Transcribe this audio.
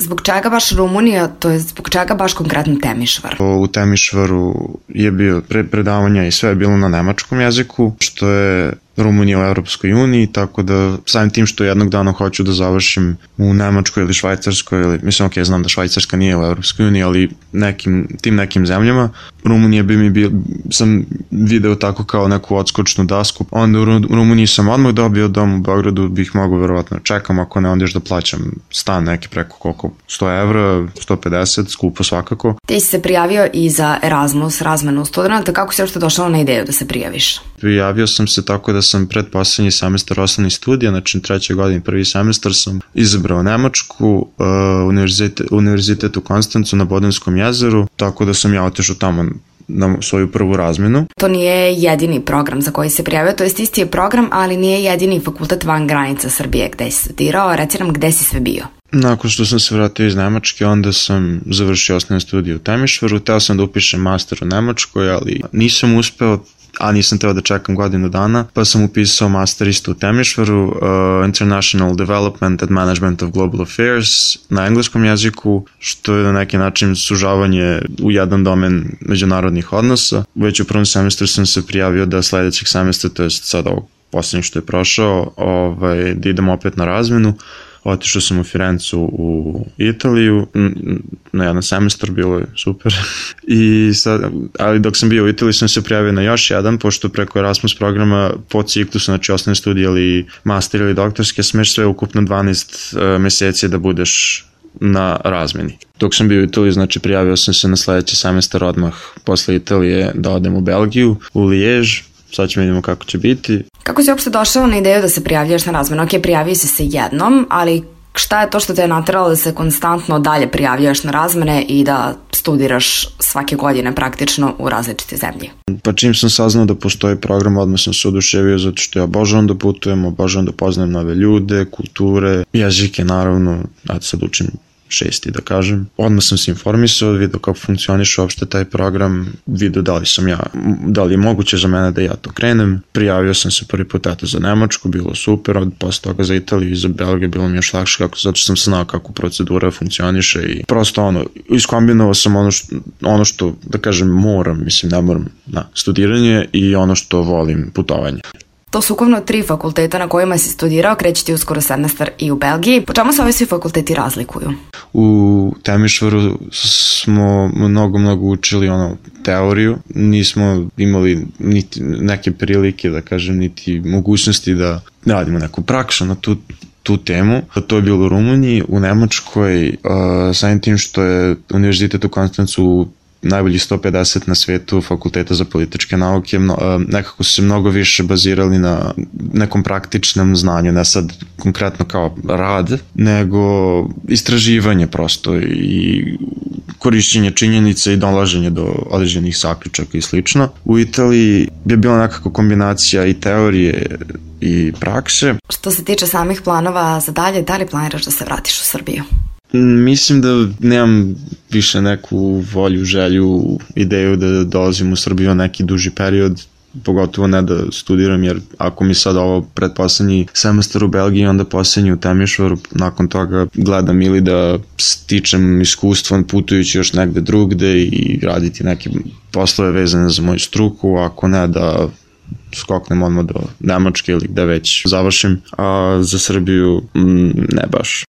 Zbog čega baš Rumunija, to je zbog čega baš konkretno Temišvar? U Temišvaru je bio predavanja i sve je bilo na nemačkom jeziku, što je Rumunija u Evropskoj uniji, tako da samim tim što jednog dana hoću da završim u Nemačkoj ili Švajcarskoj, ili, mislim, znam da Švajcarska nije u Evropskoj uniji, ali nekim zemljama, Rumunija bi mi sam video tako kao neku odskočnu dasku. Onda u Rumuniji sam odmah dobio dom u Beogradu, bih mogao verovatno čekam, ako ne onda još da plaćam stan neki preko koliko, 100 evra, 150, skupo svakako. Ti si se prijavio i za Erasmus, razmenu studenta, kako si uopšte došao na ideju da se prijaviš? Prijavio sam se tako da sam predposlednji semestar osnovnih studija, znači 3. godini, 1. semestar sam izabrao Nemačku, univerzitet u Konstancu na Bodenskom jezeru, tako da sam ja otišao tamo na svoju prvu razmenu. To nije jedini program za koji se prijavio, to jest isti je program, ali nije jedini fakultet van granica Srbije gde si studirao, reci nam gde si sve bio. Nakon što sam se vratio iz Nemačke, onda sam završio osnovne studije u Temišvaru, teo sam da upišem master u Nemačkoj, ali nisam uspeo, a nisam teo da čekam godinu dana, pa sam upisao master isto u Temišvaru, International Development and Management of Global Affairs na engleskom jeziku, što je na neki način sužavanje u jedan domen međunarodnih odnosa. Već u prvom semestru sam se prijavio da sledećeg semestra, to je sad ovog poslednjeg što je prošao, da idem opet na razmenu. Otišao sam u Firencu u Italiju, na jedan semestar, bilo je super. Ali dok sam bio u Italiji sam se prijavio na još jedan, pošto preko Erasmus programa po ciklusu, znači osnovne studije ili master ili doktorske, smeš sve ukupno 12 meseci da budeš na razmeni. Dok sam bio u Italiji, znači prijavio sam se na sledeći semestar odmah posle Italije da odem u Belgiju, u Lijež. Sad ćemo vidimo kako će biti. Kako si uopšte došao na ideju da se prijavljaš na razmenu? Ok, prijavio si se jednom, ali šta je to što te je nateralo da se konstantno dalje prijavljaš na razmene i da studiraš svake godine praktično u različite zemlje? Pa čim sam saznao da postoji program, odmah sam se oduševio zato što ja obožavam da putujem, obožavam da poznajem nove ljude, kulture, jezike naravno, sad učim 6. da kažem. Odmah sam se informisao, vidio kako funkcioniše uopšte taj program, vidio da li je moguće za mene da ja to krenem. Prijavio sam se prvi put za Nemačku, bilo super, posle toga za Italiju i za Belgiju bilo mi još lakše, zato što sam znao kako procedura funkcioniše i prosto iskombinovao sam ono što da kažem moram, ne moram, studiranje i ono što volim, putovanje. To su ukupno 3 fakulteta na kojima si studirao, kreće ti uskoro semestar i u Belgiji. Po čemu se ovi svi fakulteti razlikuju? U Temišvaru smo mnogo učili teoriju, nismo imali niti neke prilike, da kažem, niti mogućnosti da radimo neku praksu na tu temu. To je bilo u Rumuniji, u Nemačkoj, samim tim što je univerzitet u Konstancu najbolji 150 na svetu fakulteta za političke nauke, nekako su se mnogo više bazirali na nekom praktičnom znanju, ne sad konkretno kao rad, nego istraživanje prosto i korišćenje činjenica i dolaženje do određenih zaključaka i slično. U Italiji je bila nekako kombinacija i teorije i prakse. Što se tiče samih planova za dalje, da li planiraš da se vratiš u Srbiju? Mislim da nemam više neku volju, želju, ideju da dolazim u Srbiju neki duži period, pogotovo ne da studiram, jer ako mi sad ovo predposlednji semestar u Belgiji, onda poslednji u Temišvaru, nakon toga gledam ili da stičem iskustvo putujući još negde drugde i raditi neke poslove vezane za moju struku, ako ne da skoknem odmah do Nemačke ili gde već završim, a za Srbiju ne baš.